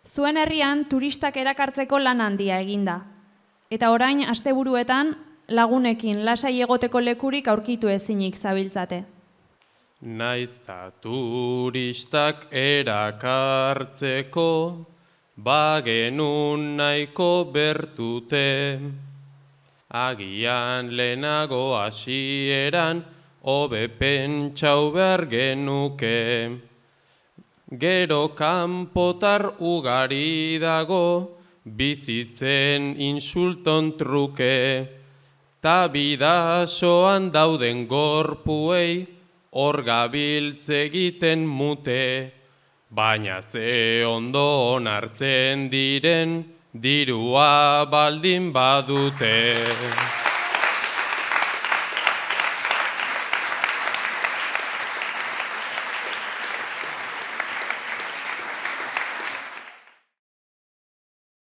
Zuen herrian turistak erakartzeko lan handia eginda. Eta orain asteburuetan lagunekin lasai egoteko lekurik aurkitu ezinik zabiltzate. Naizta turistak erakartzeko, bagenun nahiko bertute. Agian lehenago hasieran, hobe pentsau behar genuke. Gero kanpotar ugari dago, bizitzen insulton truke. Ta bidasoan dauden gorpuei, hor gabiltze egiten mute. Baina ze ondo onartzen diren, dirua baldin badute.